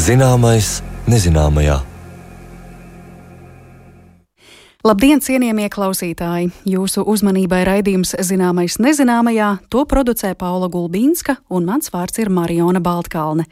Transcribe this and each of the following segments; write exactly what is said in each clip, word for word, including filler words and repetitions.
Zināmais nezināmajā. Labdien, cienījamie klausītāji! Jūsu uzmanībai raidījums Zināmais nezināmajā, to producē Paula Gulbīnska un mans vārds ir Mariona Baltkalne.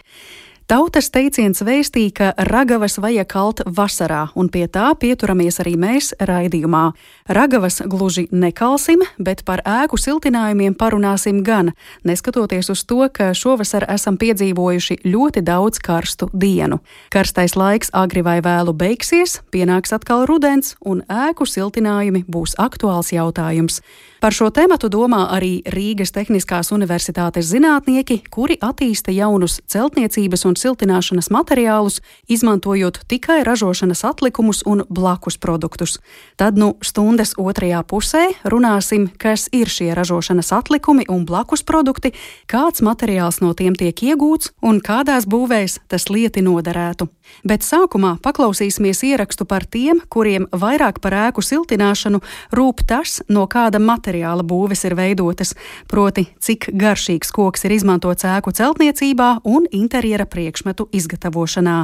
Tautas teiciens vēstīja, ka ragavas vajag kalt vasarā, un pie tā pieturamies arī mēs raidījumā. Ragavas gluži nekalsim, bet par ēku siltinājumiem parunāsim gan, neskatoties uz to, ka šovasar esam piedzīvojuši ļoti daudz karstu dienu. Karstais laiks agri vai vēlu beigsies, pienāks atkal rudens, un ēku siltinājumi būs aktuāls jautājums. Par šo tematu domā arī Rīgas Tehniskās universitātes zinātnieki, kuri attīsta jaunus celtniecības un siltināšanas materiālus, izmantojot tikai ražošanas atlikumus un blakus produktus. Tad nu stundas otrajā pusē runāsim, kas ir šie ražošanas atlikumi un blakus produkti, kāds materiāls no tiem tiek iegūts un kādās būvēs tas lieti noderētu. Bet sākumā paklausīsimies ierakstu par tiem, kuriem vairāk par ēku siltināšanu rūp tas, no kāda materiāla būves ir veidotas, proti, cik garšīgs koks ir izmantots ēku celtniecībā un interjera priekšmetu izgatavošanā.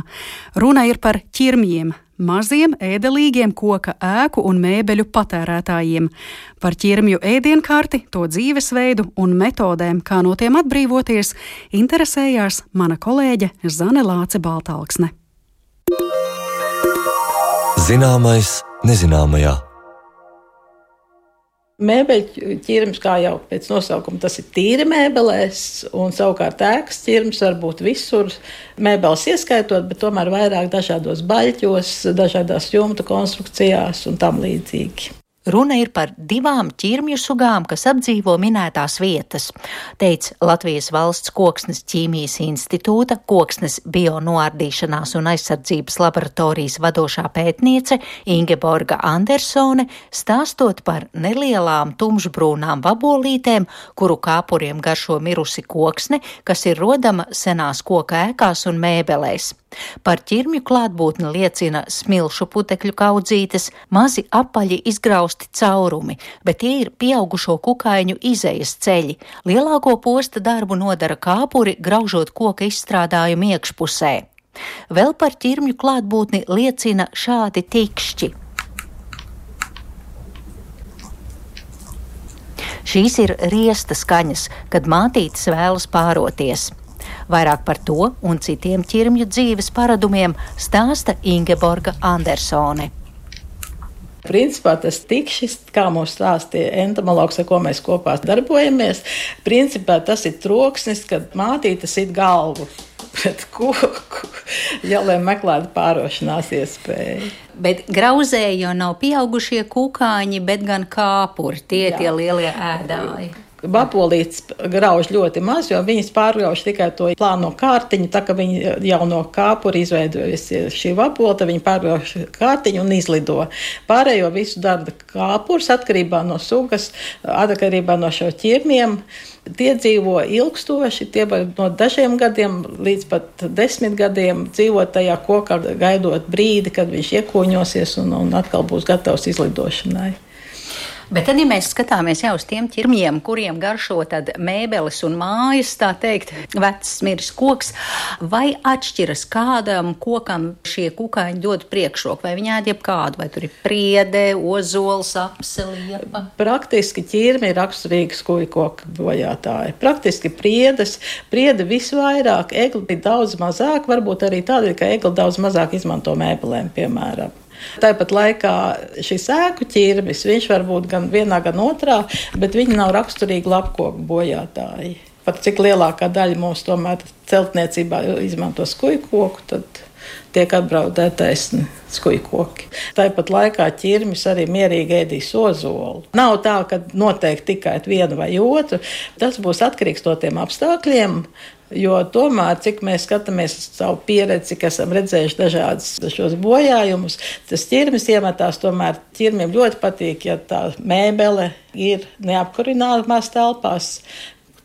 Runa ir par ķirmjiem, maziem, ēdelīgiem koka ēku un mēbeļu patērētājiem. Par ķirmju ēdienkarti, to dzīvesveidu un metodēm, kā no tiem atbrīvoties, interesējās mana kolēģe Zane Lāce Baltalksne. Zināmais nezināmajā. Mēbeļu ķirms, kā jau pēc nosaukuma, tas ir tīri mēbelēs, un savukārt ēkas ķirms var būt visur, mēbeles ieskaitot, bet tomēr vairāk dažādos baļķos, dažādās jumta konstrukcijās un tam līdzīgi. Runa ir par divām ķirmju sugām, kas apdzīvo minētās vietas, teica Latvijas Valsts Koksnes ķīmijas institūta, koksnes bionoārdīšanās un aizsardzības laboratorijas vadošā pētniece Ingeborga Andersone, stāstot par nelielām tumšbrūnām vabolītēm, kuru kāpuriem garšo mirusi koksne, kas ir rodama senās koka ēkās un mēbelēs. Par ķirmju klātbūtni liecina smilšu putekļu kaudzītes, mazi apaļi izgrausti caurumi, bet tie ir pieaugušo kukaiņu izejas ceļi. Lielāko posta darbu nodara kāpuri, graužot koka izstrādājumu iekšpusē. Vēl par ķirmju klātbūtni liecina šādi tikšķi. Šīs ir riesta skaņas, kad mātītes vēlas pāroties. Vairāk par to un citiem ķirmju dzīves paradumiem stāsta Ingeborga Andersone. Principā tas tikšis, kā mums stāstīja entomologs, ar ko mēs kopā darbojamies, principā tas ir troksnis, kad mātītes it galvu pret koku, ja lai meklētu pārošanās iespēju. Bet grauzē jau nav pieaugušie kukaiņi, bet gan kāpuri, tie Jā. Tie lielie ēdāji. Vabolītes grauž ļoti maz, jo viņas pārgrauž tikai to plāno kārtiņu, tā ka viņi jau no kāpura izveidojas šī vabola, tad viņi pārgrauž kārtiņu un izlido. Pārējo visu dara kāpurs atkarībā no sugas, atkarībā no šo ķirmiem. Tie dzīvo ilgstoši, tie var no dažiem gadiem līdz pat desmit gadiem dzīvot tajā kokā, gaidot brīdi, kad viņš iekūņosies un, un atkal būs gatavs izlidošanai. Bet tad, ja mēs skatāmies jau uz tiem ķirmjiem, kuriem garšo tad mēbeles un mājas, tā teikt, vecs miris koks, vai atšķiras kādam kokam šie kukaiņi dod priekšroku, vai viņi ēd jebkādu, vai tur ir priede, ozols, apseliepa? Praktiski ķirmi ir raksturīgi skujkoka bojātāji. Praktiski priedes, priede visvairāk, egli daudz mazāk, varbūt arī tādēļ, ka egli daudz mazāk izmanto mēbelēm, piemēram. Tāpat laikā šis ēku ķirmis, viņš var būt gan vienā, gan otrā, bet viņi nav raksturīgi lapkoku bojātāji. Pat cik lielākā daļa mums tomēr celtniecībā izmanto skujkoku, tad tiek apdraudētais skujkoki. Tāpat laikā ķirmis arī mierīgi ēdīs ozolu. Nav tā, ka noteikti tikai vienu vai otru. Tas būs atkarīgs no tiem apstākļiem, jo tomēr, cik mēs skatāmies savu pieredzi, cik esam redzējuši dažādas šos bojājumus, tas ķirmis iemetās, tomēr ķirmiem ļoti patīk, ja tā mēbele ir neapkurināmās telpās.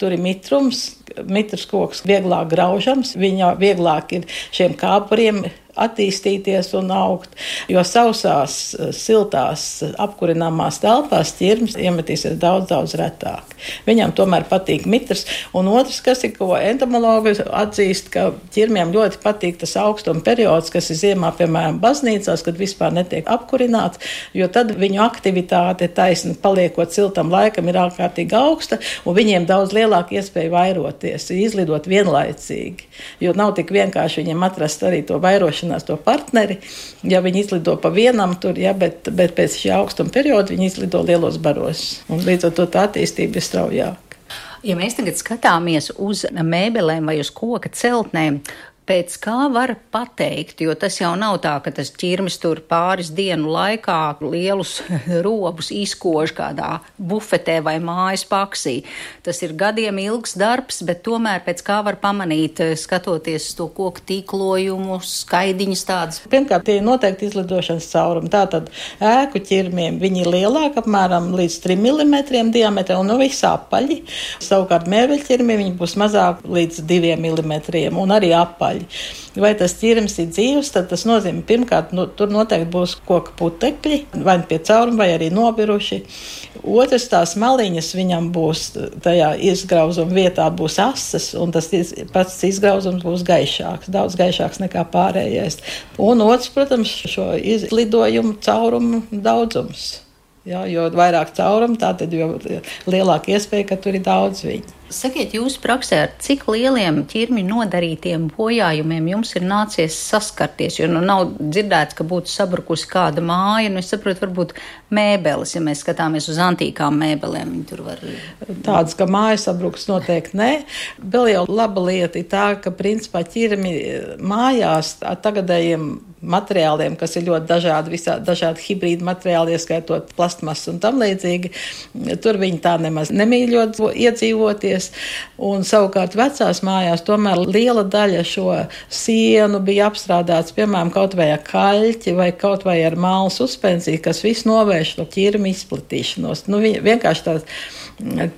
Tur ir mitrums, mitrs koks vieglāk graužams, viņa vieglāk ir šiem kāpuriem attīstīties un augt, jo sausās, siltās, apkurināmās telpās ķirmis iemetīsies daudz, daudz retāk. Viņam tomēr patīk mitrs, un otrs, kas ir, ko entomologi atzīst, ka ķirmiem ļoti patīk tas augstuma periods, kas ir ziemā, piemēram, baznīcās, kad vispār netiek apkurināts, jo tad viņu aktivitāte taisni paliekot siltam laikam ir ārkārtīgi augsta, un viņiem daudz lielāka iespēja vairoties, izlidot vienlaicīgi, jo nav tik vienkārši viņiem atrast arī to vairošanu, to partneri, ja viņi izlido pa vienam tur, ja, bet, bet pēc šī augstuma perioda viņi izlido lielos baros. Un līdz ar to tā attīstība ir straujāka. Ja mēs tagad skatāmies uz mēbelēm vai uz koka celtnēm, pēc kā var pateikt, jo tas jau nav tā, ka tas ķirmis tur pāris dienu laikā lielus robus izkož kādā bufetē vai mājas paksī. Tas ir gadiem ilgs darbs, bet tomēr pēc kā var pamanīt, skatoties to koku tīklojumu, skaidiņas tādas. Pirmkārt, tie ir noteikti izlidošanas caurumi. Tātad ēku ķirmiem viņi ir lielāki, apmēram līdz trim milimetriem diametrā un nu visi apaļi. Savukārt mēbeļķirmiem viņi būs mazāk līdz diviem milimetriem un arī apaļi. Vai tas ķirmis ir dzīvs, tad tas nozīmē, pirmkārt, nu, tur noteikti būs koka putekļi, vai pie cauruma, vai arī nobiruši. Otrs, tās maliņas viņam būs, tajā izgrauzuma vietā būs asas, un tas pats izgrauzums būs gaišāks, daudz gaišāks nekā pārējais. Un otrs, protams, šo izlidojumu caurumu daudzums. Ja, jo vairāk caurumu, tātad jo lielāka iespēja, ka tur ir daudz viņu. Sakiet, jūsu praksē ar cik lieliem ķirmi nodarītiem bojājumiem jums ir nācies saskarties, jo nu nav dzirdēts, ka būtu sabrukusi kāda māja, nu es saprotu, varbūt mēbeles, ja mēs skatāmies uz antīkām mēbelēm, viņi tur var... Tādas, ka māja sabruks noteikti nē. Vēl jau laba lieta ir tā, ka principā ķirmi mājās ar tagadējiem materiāliem, kas ir ļoti dažādi, visā, dažādi hibrīdi materiāli, ieskaitot plastmasu un tam līdzīgi, tur viņi tā nemaz nemīļot iedzīvoties. Un savukārt vecās mājās tomēr liela daļa šo sienu bija apstrādāts, piemēram, kaut vai ar kaļķi vai kaut vai ar mālu suspensiju, kas viss novērš to ķirmi izplatīšanos. Nu, vienkārši tā,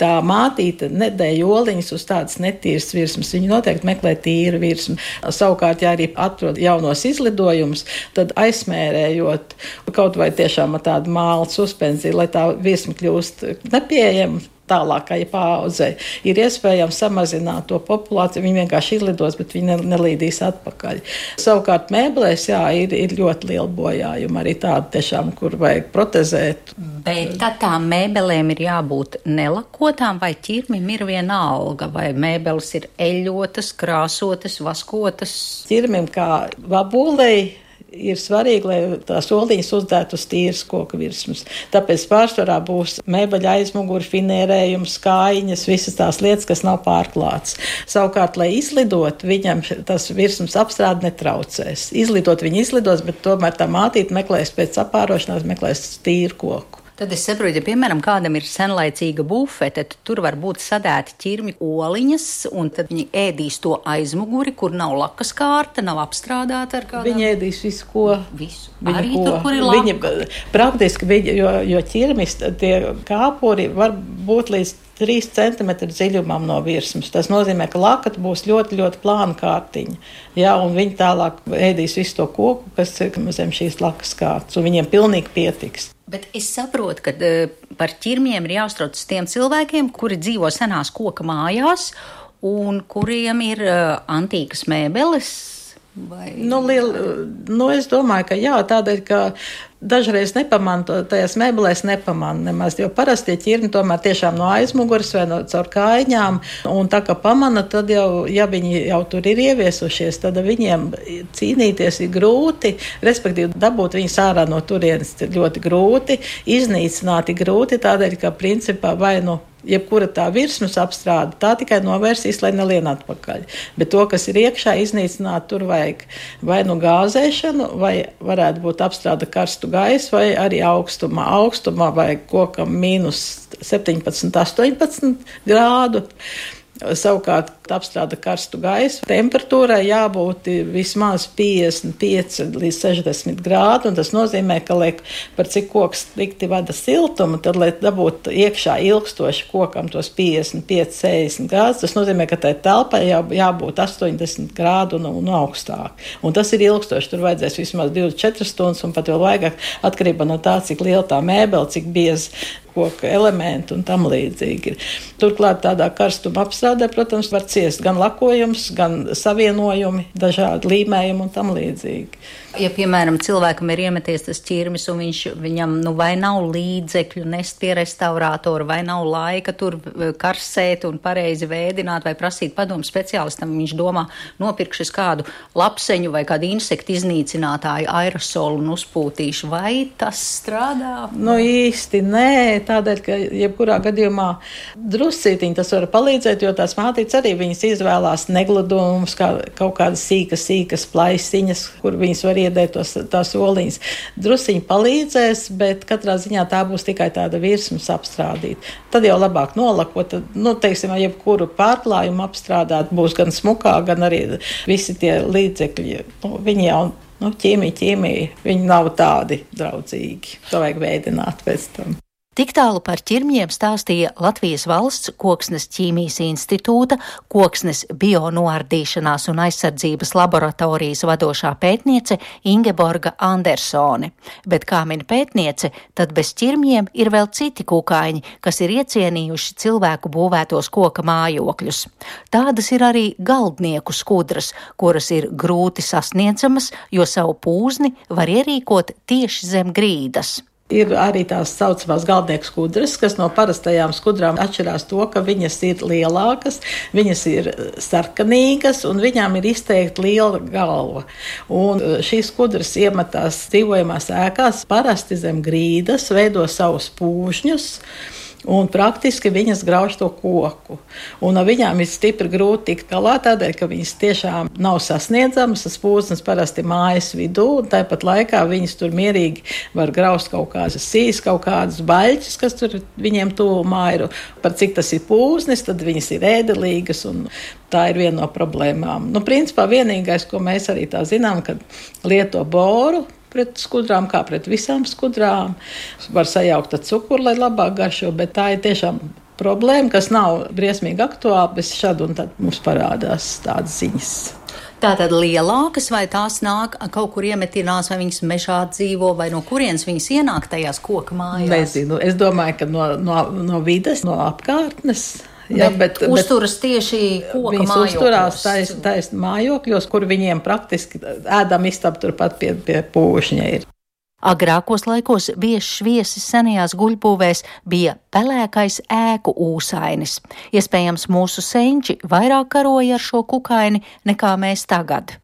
tā mātīte nedēļ oliņas uz tādas netīras virsmas. Viņi noteikti meklē tīru virsmu. Savukārt, ja arī atrod jaunos izlidojumus, tad aizsmērējot kaut vai tiešām ar tādu mālu suspensiju, lai tā virsma kļūst nepieejama tālākai paaudzei, ir iespējams samazināt to populāciju. Viņi vienkārši izlidos, bet viņi nelīdīs atpakaļ. Savukārt mēbelēs, jā, ir, ir ļoti liela bojājuma, arī tāda tiešām, kur vajag protezēt. Bet tad tām mēbelēm ir jābūt nelakotām, vai ķirmim ir viena alga, vai mēbeles ir eļotas, krāsotas, vaskotas? Ķirmim kā vabolei ir svarīgi, lai tās oliņas uzdētu uz tīras koka virsmas. Tāpēc pārsvarā būs mēbeļa aizmuguri, finērējums, kājiņas, visas tās lietas, kas nav pārklāts. Savukārt, lai izlidot, viņam tas virsmas apstrāde netraucēs. Izlidot viņi izlidos, bet tomēr tā mātīte meklēs pēc apārošanās, meklēs tīru koku. Tad es saprotu, ja, piemēram, kādam ir senlaicīga bufete, tad tur var būt sadēti ķirmi oliņas, un tad viņi ēdīs to aizmuguri, kur nav lakas kārta, nav apstrādāta ar kādām. Viņi ēdīs visu, ko. Visu. Viņa Arī ko. Tur, kur ir laka. Viņa, praktiski, viņa, jo, jo ķirmis, tie kāpuri var būt līdz trīs centimetri dziļumam no virsmas. Tas nozīmē, ka lakata būs ļoti, ļoti plāna kārtiņa. Ja, un viņi tālāk ēdīs visu to koku, kas ir zem šīs lakas kārtas, un viņiem pilnīgi pietiks. Bet es saprotu, ka uh, par ķirmiem ir jāuztraucas tiem cilvēkiem, kuri dzīvo senās koka mājās un kuriem ir uh, antīkas mēbeles. Vai... Nu, liel, nu, es domāju, ka jā, tādēļ, ka dažreiz nepamanā, to tajās mēbelēs nepamanā nemaz, jo parasti ķirmi tomēr tiešām no aizmuguras vai no caur kājiņām, un tā kā pamana, tad jau, ja viņi jau tur ir ieviesušies, tad viņiem cīnīties ir grūti, respektīvi dabūt viņus ārā no turienes ir ļoti grūti, iznīcināt ir grūti, tādēļ, ka principā vai nu jebkura tā virsmas apstrāde, tā tikai novērsīs, lai nelien atpakaļ. Bet to, kas ir iekšā, iznīcināt, tur vajag vai nu gāzēšanu, vai varētu būt apstrāde karstu gaisu, vai arī augstumā. Augstumā vajag kokam mīnus septiņpadsmit, astoņpadsmit grādu. Savukārt apstrāda karstu gaisu. Temperatūrai jābūt vismaz piecdesmit pieci līdz sešdesmit grādi, un tas nozīmē, ka, lai par cik koks tikti vada siltumu, tad, lai dabūtu iekšā ilgstoši kokam tos piecdesmit pieci sešdesmit grādus, tas nozīmē, ka tai telpai jā, jābūt astoņdesmit grādu un, un augstāk. Un tas ir ilgstoši, tur vajadzēs vismaz divdesmit četras stundas, un pat vēl vairāk atkarībā no tā, cik liela tā mēbele, cik bieza koka elementi un tam līdzīgi. Turklāt tādā karstuma apstrādē, protams, var ciest gan lakojums, gan savienojumi, dažādi līmējumi un tam līdzīgi. Ja, piemēram, cilvēkam ir iemeties tas ķirmis un viņš, viņam nu, vai nav līdzekļu nest pie restaurātora, vai nav laika tur karsēt un pareizi vēdināt vai prasīt padomu speciālistam, viņš domā, nopirkšas kādu lapseņu vai kādu insektu iznīcinātāju aerosolu un uzpūtīšu, vai tas strādā? Nu īsti nē, tādēļ, ka jebkurā gadījumā druscītiņi tas var palīdzēt, jo tās mātītes arī viņas izvēlās negladumus, kā kaut kādas sīkas, sīkas plaisiņas, kur viņas var iedēt tos, tās oliņas. Drusciņi palīdzēs, bet katrā ziņā tā būs tikai tāda virsmas apstrādīt. Tad jau labāk nolakot, nu, teiksim, jebkuru pārklājumu apstrādāt, būs gan smukā, gan arī visi tie līdzekļi. Nu, viņi jau, nu, ķīmija, ķīmija, viņi nav tādi draudzīgi. To vajag veidināt pēc tam. Tik tālu par ķirmjiem stāstīja Latvijas Valsts Koksnes ķīmijas institūta, Koksnes bionoardīšanās un aizsardzības laboratorijas vadošā pētniece Ingeborga Andersone. Bet, kā min pētniece, tad bez ķirmjiem ir vēl citi kukaiņi, kas ir iecienījuši cilvēku būvētos koka mājokļus. Tādas ir arī galdnieku skudras, kuras ir grūti sasniedzamas, jo savu pūzni var ierīkot tieši zem grīdas. Ir arī tās saucamās galdnieku skudras, kas no parastajām skudrām atšķirās to, ka viņas ir lielākas, viņas ir sarkanīgas un viņām ir izteikti liela galva. Un šīs skudras iemetās dzīvojamās ēkās parasti zem grīdas, veido savus pūžņus. Un praktiski viņas grauž to koku. Un no viņām ir stipri grūti tikt galā, tādēļ, ka viņas tiešām nav sasniedzamas. Tas pūznes parasti mājas vidū, un tāpat laikā viņas tur mierīgi var graust kaut kādas sīs, kaut kādas baļķis, kas tur viņiem tuvumā ir. Par cik tas ir pūznes, tad viņas ir ēdelīgas, un tā ir viena no problēmām. Nu, principā vienīgais, ko mēs arī tā zinām, kad lieto boru pret skudrām, kā pret visām skudrām. Var sajaukt ar cukuru, lai labāk garšo, bet tā ir tiešām problēma, kas nav briesmīgi aktuāla, bet šad un tad mums parādās tādas ziņas. Tātad lielākas, vai tās nāk kaut kur iemetinās, vai viņas mežā dzīvo, vai no kurienes viņas ienāk tajās koka mājās? Nezinu, es domāju, ka no, no, no vides, no apkārtnes. Jā, bet, bet uzturas tieši koka viņas mājokļos. Uzturās taisn, taisn mājokļos, kur viņiem praktiski ēdam istab turpat pie, pie pūšņa ir. Agrākos laikos biežs viesis senajās guļbūvēs bija pelēkais ēku ūsainis. Iespējams, mūsu senči vairāk karoja ar šo kukaini nekā mēs tagad.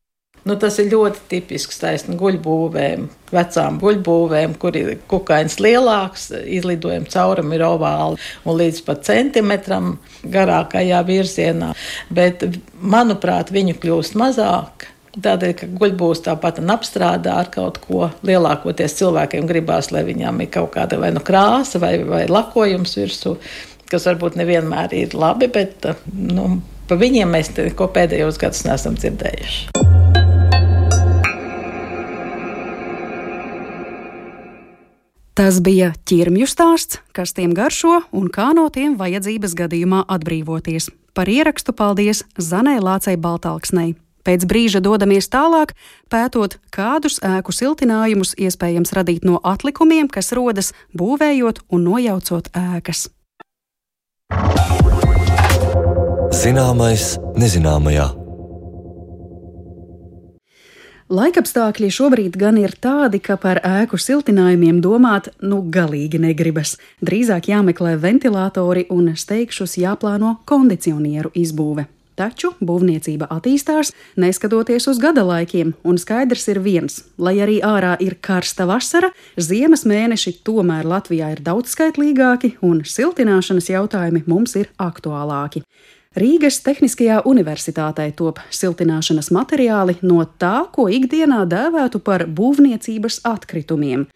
Nu, tas ir ļoti tipisks taisni guļbūvēm, vecām guļbūvēm, kur ir kukains lielāks, izlidojuma caurumi ir ovāli un līdz pat centimetram garākajā virzienā. Bet, manuprāt, viņu kļūst mazāk. Tādēļ, ka guļbūvs tāpat apstrādā ar kaut ko. Lielākoties cilvēkiem gribās, lai viņām ir kaut kāda vai nu krāsa vai, vai lakojums virsū, kas varbūt nevienmēr ir labi, bet nu, pa viņiem mēs ko pēdējos gadus neesam dzirdējuši. Tas bija ķirmju stāsts, kas tiem garšo un kā no tiem vajadzības gadījumā atbrīvoties. Par ierakstu paldies Zanai Lācei Baltalksnei. Pēc brīža dodamies tālāk, pētot, kādus ēku siltinājumus iespējams radīt no atlikumiem, kas rodas būvējot un nojaucot ēkas. Zināmais nezināmajā. Laikapstākļi šobrīd gan ir tādi, ka par ēku siltinājumiem domāt nu galīgi negribas. Drīzāk jāmeklē ventilatori un steigšus jāplāno kondicionieru izbūve. Taču būvniecība attīstās, neskatoties uz gada laikiem, un skaidrs ir viens, lai arī ārā ir karsta vasara, ziemas mēneši tomēr Latvijā ir daudzskaitlīgāki un siltināšanas jautājumi mums ir aktuālāki. Rīgas Tehniskajā universitātē top siltināšanas materiāli no tā, ko ikdienā dēvētu par būvniecības atkritumiem.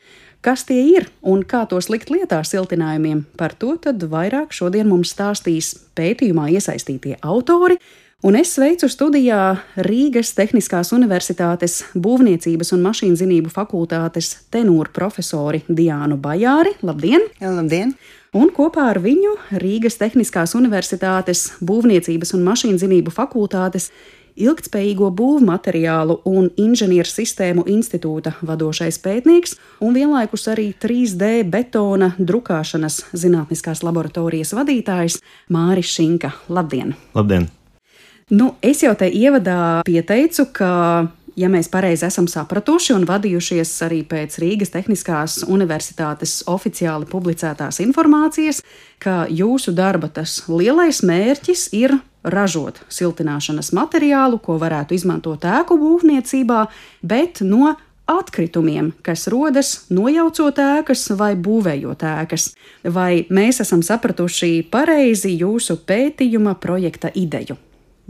Kas tie ir un kā tos likt lietā siltinājumiem? Par to tad vairāk šodien mums stāstīs pētījumā iesaistītie autori. Un es sveicu studijā Rīgas Tehniskās Universitātes Būvniecības un mašīnzinību fakultātes tenūru profesori Diānu Bajāri. Labdien! Jā, labdien! Un kopā ar viņu Rīgas Tehniskās Universitātes Būvniecības un mašīnzinību fakultātes Ilgtspējīgo būvmateriālu un inženieru sistēmu institūta vadošais pētnieks un vienlaikus arī trīs D betona drukāšanas zinātniskās laboratorijas vadītājs Māris Šinka. Labdien! Labdien! Nu, es jau te ievadā pieteicu, ka, ja mēs pareizi esam sapratuši un vadījušies arī pēc Rīgas Tehniskās Universitātes oficiāli publicētās informācijas, ka jūsu darba tas lielais mērķis ir ražot siltināšanas materiālu, ko varētu izmantot ēku būvniecībā, bet no atkritumiem, kas rodas nojaucot ēkas vai būvējot ēkas. Vai mēs esam sapratuši pareizi jūsu pētījuma projekta ideju?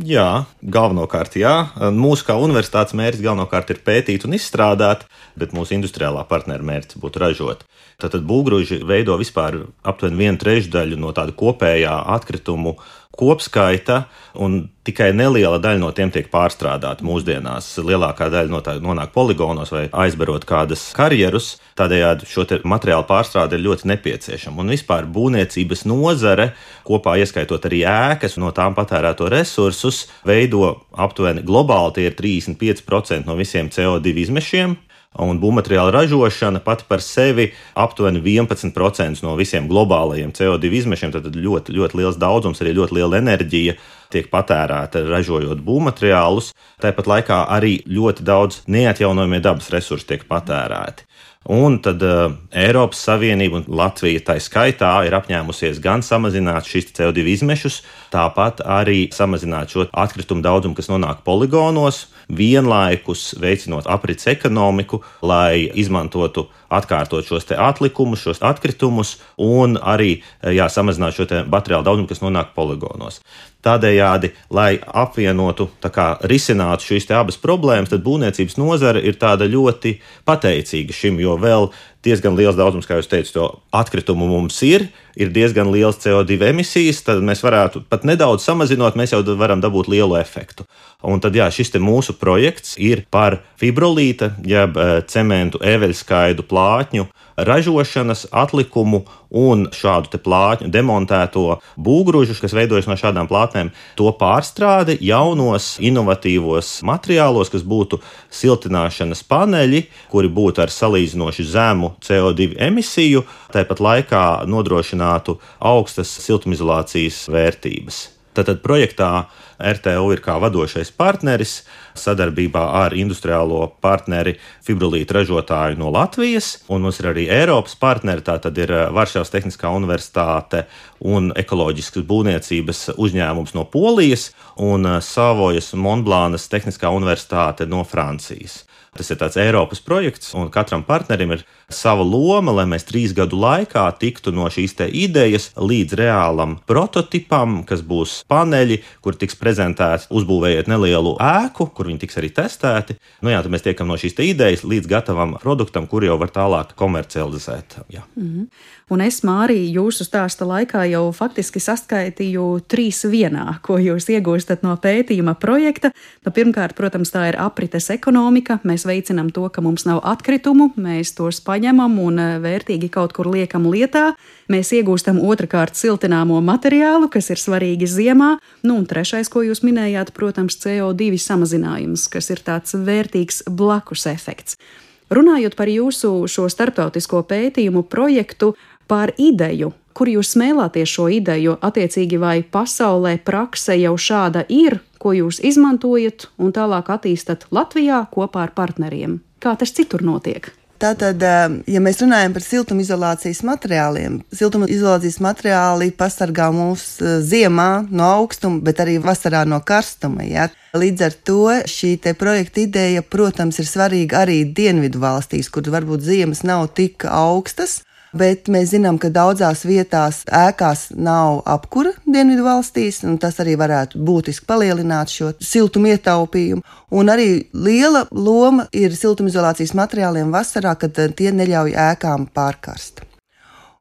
Jā, galvenokārt jā. Mūsu kā universitātes mērķis galvenokārt ir pētīt un izstrādāt, bet mūsu industriālā partneru mērķis būtu ražot. Tātad būvgrūži veido vispār aptuveni vienu trešdaļu no tāda kopējā atkritumu kopskaita, un tikai neliela daļa no tiem tiek pārstrādāta mūsdienās. Lielākā daļa no tā nonāk poligonos vai aizbarot kādas karjerus. Tādējādi šo materiālu pārstrāde ir ļoti nepieciešama. Un vispār būvniecības nozare, kopā ieskaitot arī ēkas, no tām patērēto resursus, veido aptuveni globāli tie ir trīsdesmit pieci procenti no visiem C O divi izmešiem. Un būvmateriāla ražošana pati par sevi aptuveni vienpadsmit procenti no visiem globālajiem C O divi izmešiem, tad ļoti, ļoti liels daudzums, arī ļoti liela enerģija tiek patērēta ražojot būvmateriālus. Tāpat laikā arī ļoti daudz neatjaunojamie dabas resursi tiek patērēti. Un tad uh, Eiropas Savienība un Latvija tai skaitā ir apņēmusies gan samazināt šīs C O divi izmešus, tāpat arī samazināt šo atkritumu daudzumu, kas nonāk poligonos, vienlaikus veicinot aprits ekonomiku, lai izmantotu atkārtot šos te atlikumus, šos atkritumus un arī jā, samazināt šo te materiālu daudzumu, kas nonāk poligonos. Tādējādi, lai apvienotu, tā kā risinātu šīs te abas problēmas, tad būvniecības nozare ir tāda ļoti pateicīga šim, jo vēl diezgan liels daudzums, kā jūs teicat, to atkritumu mums ir, ir diezgan liels C O divi emisijas, tad mēs varētu pat nedaudz samazinot, mēs jau varam dabūt lielu efektu. Un tad jā, šis te mūsu projekts ir par fibrolīta, jeb cementu eveļskaidu plātņu ražošanas atlikumu un šādu te plātņu demontēto būvgrūžu, kas veidojas no šādām plātnēm, to pārstrādi jaunos inovatīvos materiālos, kas būtu siltināšanas paneļi, kuri būtu ar salīdzinoši zemu C O divi emisiju, tāpat laikā nodrošinātu augstas siltumizolācijas vērtības. Tātad projektā R T U ir kā vadošais partneris sadarbībā ar industriālo partneri fibrolīta ražotāju no Latvijas, un mums ir arī Eiropas partneri, tātad ir Varšavas Tehniskā Universitāte un ekoloģiskas būvniecības uzņēmums no Polijas un Savojas Montblānas Tehniskā Universitāte no Francijas. Tas ir tāds Eiropas projekts, un katram partnerim ir sava loma, lai mēs trīs gadu laikā tiktu no šīs te idejas līdz reālam prototipam, kas būs paneļi, kur tiks prezentēti, uzbūvējot nelielu ēku, kur viņi tiks arī testēti. Nu jā, tad mēs tiekam no šīs te idejas līdz gatavam produktam, kur jau var tālāk komercializēt. Jā. Mm-hmm. Un es, Māri, jūsu stāsta laikā jau faktiski saskaitīju trīs vienā, ko jūs iegūstat no pētījuma projekta. Nu, pirmkārt, protams, tā ir aprites ekonomika. Mēs veicinām to, ka mums nav atkritumu, mēs tos paņemam un vērtīgi kaut kur liekam lietā. Mēs iegūstam otrkārt siltināmo materiālu, kas ir svarīgi ziemā. Nu, un trešais, ko jūs minējāt, protams, C O divi samazinājums, kas ir tāds vērtīgs blakus efekts. Runājot par jūsu šo starptautisko pētījumu projektu, par ideju, kur jūs smēlāties šo ideju, attiecīgi vai pasaulē prakse jau šāda ir, ko jūs izmantojat un tālāk attīstat Latvijā kopā ar partneriem? Kā tas citur notiek? Tātad, ja mēs runājam par siltumizolācijas materiāliem, siltumizolācijas materiāli pasargā mūs ziemā no augstuma, bet arī vasarā no karstuma. Ja? Līdz ar to šī te projekta ideja, protams, ir svarīga arī dienvidu valstīs, kur varbūt ziemas nav tik augstas. Bet mēs zinām, ka daudzās vietās ēkās nav apkura dienvidu valstīs, un tas arī varētu būtiski palielināt šo siltumu ietaupījumu. Un arī liela loma ir siltumizolācijas materiāliem vasarā, kad tie neļauj ēkām pārkarst.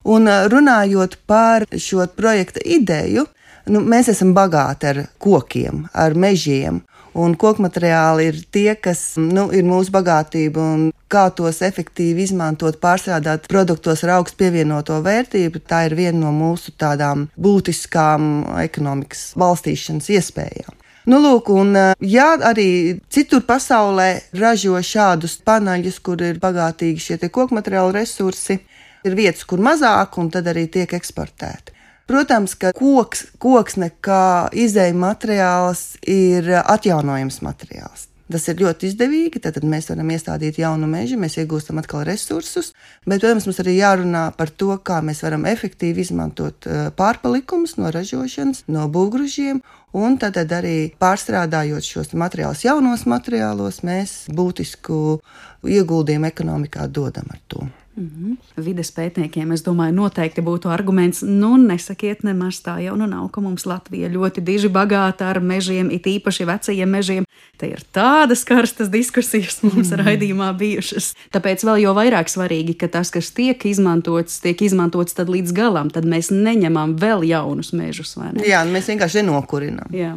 Un runājot par šo projekta ideju, nu, mēs esam bagāti ar kokiem, ar mežiem. Un kokmateriāli ir tie, kas nu, ir mūsu bagātība, un kā tos efektīvi izmantot, pārstrādāt produktos ar augstu pievienoto vērtību, tā ir viena no mūsu tādām būtiskām ekonomikas balstīšanas iespējām. Nu, lūk, un jā, arī citur pasaulē ražo šādus paneļus, kur ir bagātīgi šie kokmateriālu resursi, ir vietas, kur mazāk, un tad arī tiek eksportēti. Protams, ka koks, koksne kā izēja materiāls ir atjaunojams materiāls. Tas ir ļoti izdevīgi, tad mēs varam iestādīt jaunu mežu, mēs iegūstam atkal resursus, bet, protams, mums arī jārunā par to, kā mēs varam efektīvi izmantot pārpalikumus no ražošanas, no būvgružiem, un tad arī pārstrādājot šos materiālus jaunos materiālos, mēs būtisku ieguldījumu ekonomikā dodam ar to. Mm-hmm. Vides pētniekiem, es domāju, noteikti būtu arguments, nu nesakiet nemaz tā jau nu nav, ka mums Latvija ļoti diži bagāta ar mežiem, it īpaši vecajiem mežiem. Te ir tādas karstas diskusijas mums mm. raidījumā bijušas. Tāpēc vēl jo vairāk svarīgi, ka tas, kas tiek izmantots, tiek izmantots tad līdz galam, tad mēs neņemam vēl jaunus mežus, vai ne? Jā, mēs vienkārši nenokurinam. Jā.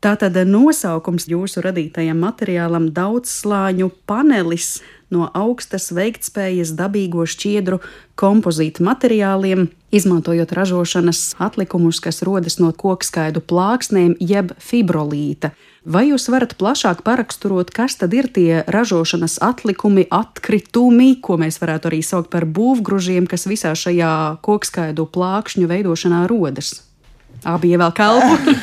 Tātad nosaukums jūsu radītajam materiālam daudzslāņu panelis no augstas veiktspējas dabīgo šķiedru kompozītu materiāliem, izmantojot ražošanas atlikumus, kas rodas no kokskaidu plāksnēm jeb fibrolīta. Vai jūs varat plašāk paraksturot, kas tad ir tie ražošanas atlikumi, atkritumi, ko mēs varētu arī saukt par būvgružiem, kas visā šajā kokskaidu plākšņu veidošanā rodas? Abi ievēl kalpu.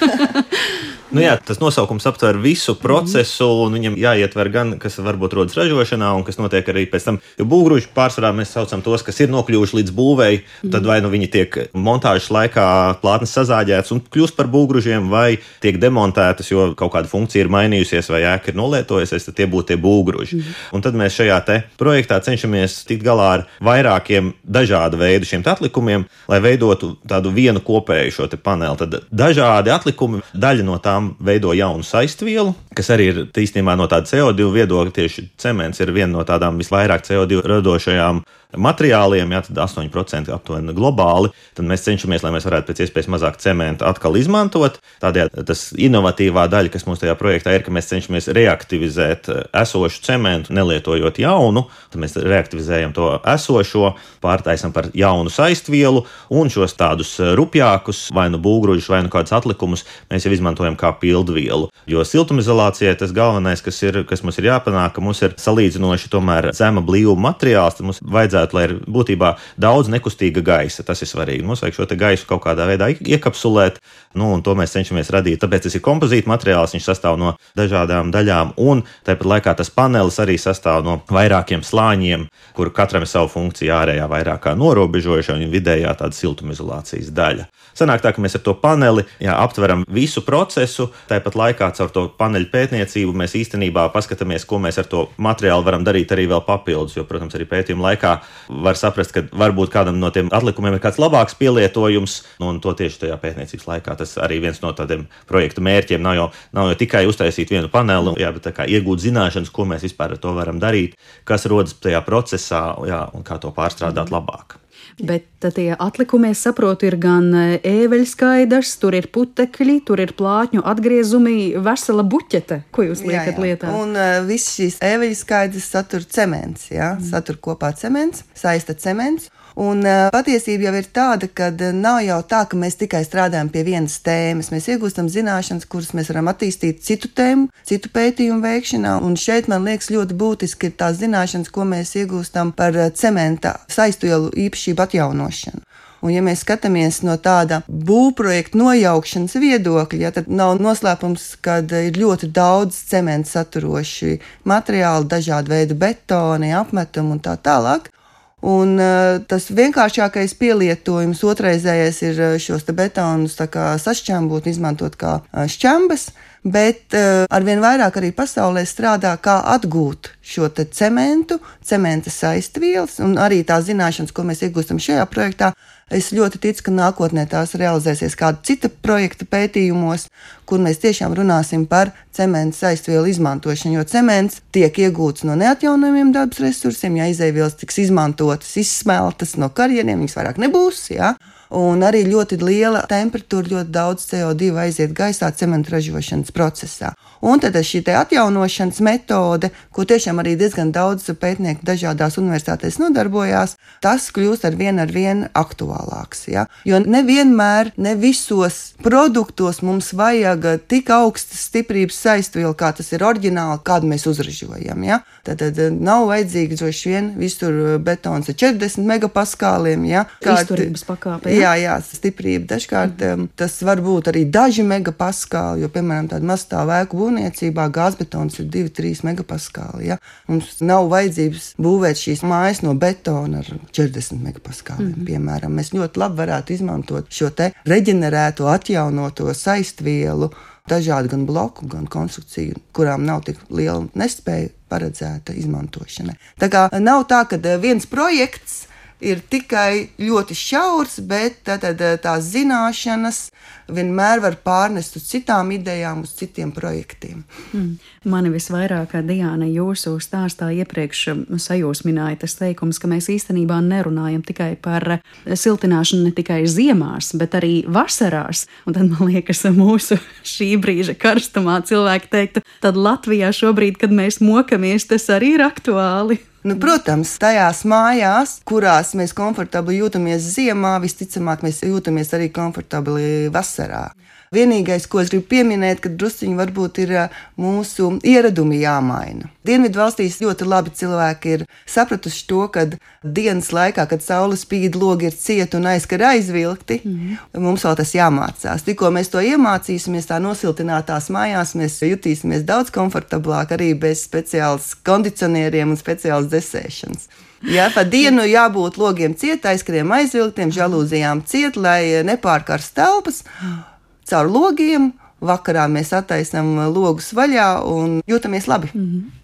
Nu jā, tas nosaukums aptver visu procesu, un viņam jāietver gan, kas varbūt rodas ražošanā, un kas notiek arī pēc tam. Jo būvgruži pārsvarā mēs saucam tos, kas ir nokļuvuši līdz būvēji, tad vai nu viņi tiek montāžas laikā plātnes sazāģētas un kļūst par būvgružiem, vai tiek demontētas, jo kaut kāda funkcija ir mainījusies, vai ēka ir nolietojusies, tad tie būtu tie būvgruži. Mm. Un tad mēs šajā te projektā cenšamies tikt galā ar vairākiem dažādu veidu šiem atlikumiem, lai veidotu tādu vienu kopēju šo te paneli. Tad dažādi atlikumi, daļa no tām veido jaunu saistvielu, kas arī ir īstenībā no tāda C O divi viedokļa. Tieši cements ir viena no tādām visvairāk C O divi radošajām materiāliem, jā, tad astoņi procenti aptuveni globāli. Tad mēs cenšamies, lai mēs varētu pēc iespējas mazāk cementu atkal izmantot. Tādējādi tas inovatīvā daļa, kas mums tajā projektā ir, ka mēs cenšamies reaktivizēt esošu cementu, nelietojot jaunu. Tad mēs reaktivizējam to esošo, pārtaisam par jaunu saistvielu, un šos tādus rupjākus, vai nu būvgružus, vai nu kādus atlikumus, mēs jau izmantojam kā pildvielu. Jo siltumizolācijai tas galvenais, kas, ir, kas mums ir jāpanāk, ka mums ir salīdzinoši tomēr zema blīvuma materiāls, tad mums vajadzētu, lai ir būtībā daudz nekustīga gaisa. Tas ir svarīgi. Mums vajag šo te gaisu kaut kādā veidā iekapsulēt, nu, un to mēs cenšamies radīt. Tāpēc tas ir kompozīta materiāls, viņš sastāv no dažādām daļām, un tāpat laikā tas panelis arī sastāv no vairākiem slāņiem, kur katram ir savu funkciju ārējā vairāk kā norobežojušā un vidējā tāda siltumizolācijas daļa. Sanāk tā, ka mēs ar to paneli jā, aptveram visu procesu, tāpat laikā caur to paneļu pētniecību mēs īstenībā paskatāmies, ko mēs ar to materiālu varam darīt arī vēl papildus, jo, protams, arī pētījuma laikā var saprast, ka varbūt kādam no tiem atlikumiem ir kāds labāks pielietojums, nu, un to tieši tajā pētniecības laikā. Tas arī viens no tādiem projektu mērķiem nav jau, nav jau tikai uztaisīt vienu paneli, jā, bet tā kā iegūt zināšanas, ko mēs vispār ar to varam darīt, kas rodas tajā procesā, jā, un kā to pārstrādāt labāk. Bet tie atlikumi, es saprotu, ir gan ēveļskaidrs, tur ir putekļi, tur ir plātņu atgriezumi, vesela buķete. Ko jūs liekat jā, jā. lietā? Un uh, viss šīs ēveļskaidrs satur cements, jā, mm. satur kopā cements, saista cements. Un uh, patiesība jau ir tāda, ka nav jau tā, ka mēs tikai strādājam pie vienas tēmas. Mēs iegūstam zināšanas, kuras mēs varam attīstīt citu tēmu, citu pētījumu veikšanā. Un šeit man liekas ļoti būtiski ir tās zināšanas, ko mēs iegūstam par cementa saistvielu īpašību atjaunošanu. Un ja mēs skatāmies no tāda būvprojekta nojaukšanas viedokļa, ja, tad nav noslēpums, ka ir ļoti daudz cementa saturoši materiāli, dažādi veidi betoni, apmetumi un tā tālāk. Un uh, tas vienkāršākais pielietojums otrreizējais ir šos te betonus tā kā sašķembot, izmantot kā uh, šķembas, bet uh, arvien vairāk arī pasaulē strādā, kā atgūt šo te cementu, cementa saistvielas un arī tās zināšanas, ko mēs iegūstam šajā projektā. Es ļoti ticu, ka nākotnē tās realizēsies kāda cita projekta pētījumos, kur mēs tiešām runāsim par cementa saistvielu izmantošanu, jo cements tiek iegūts no neatjaunojumiem dabas resursiem, ja izēvielas tiks izmantotas, izsmeltas no karjeriem, viņas vairāk nebūs, jā. Un arī ļoti liela temperatūra, ļoti daudz C O divi aiziet gaisā cementa ražošanas procesā. Un tad šī te atjaunošanas metode, ko tiešām arī diezgan daudz pētnieku dažādās universitātēs nodarbojās, tas kļūst ar vien ar vien aktuālāks. Ja? Jo nevienmēr, ne visos produktos mums vajag tik augstas stiprības saistvielu, kā tas ir oriģināli, kādu mēs uzražojam. Ja? Tad, tad nav vajadzīgi droši vien visur betons ar četrdesmit megapaskāliem. Ja? Izturības pakāpe. Jā, jā, stiprība. Dažkārt mm. tas var būt arī daži megapaskāli, jo, piemēram, tāda mazstāvu ēku būvniecībā gāzbetons ir divi līdz trīs megapaskāli. Ja? Mums nav vajadzības būvēt šīs mājas no betona ar četrdesmit megapaskāliem, mm. piemēram. Mēs ļoti labi varētu izmantot šo te reģenerēto, atjaunoto saistvielu, dažādu gan bloku, gan konstrukciju, kurām nav tik liela nespēja paredzēta izmantošanai. Tā kā nav tā, ka viens projekts ir tikai ļoti šaurs, bet tātad tās zināšanas vienmēr var pārnest uz citām idejām, uz citiem projektiem. Mm. Mani visvairāk, Diāna, jūsu stāstā iepriekš sajūsmināja tas teikums, ka mēs īstenībā nerunājam tikai par siltināšanu ne tikai ziemās, bet arī vasarās. Un tad, man liekas, mūsu šī brīža karstumā cilvēki teiktu, tad Latvijā šobrīd, kad mēs mokamies, tas arī ir aktuāli. Nu, protams, tajās mājās, kurās mēs komfortabli jūtamies ziemā, visticamāk mēs jūtamies arī komfortabli vasarā. Vienīgais, ko es gribu pieminēt, ka drusciņi varbūt ir mūsu ieradumi jāmaina. Dienvidu valstīs ļoti labi cilvēki ir sapratuši to, ka dienas laikā, kad saule spīd, logi ir cieti un aizkari aizvilkti, mm-hmm. mums vēl tas jāmācās. Tikko mēs to iemācīsimies tā nosiltinātās mājās, mēs jutīsimies daudz komfortablāk arī bez speciāls kondicionieriem un speciāls desēšanas. Jā, pa dienu jābūt logiem ciet, aizkariem aizvilktiem, žalūzijām ciet, lai nepārkarst telpas. Caur logiem, vakarā mēs attaisam logus vaļā un jūtamies labi. Mm-hmm.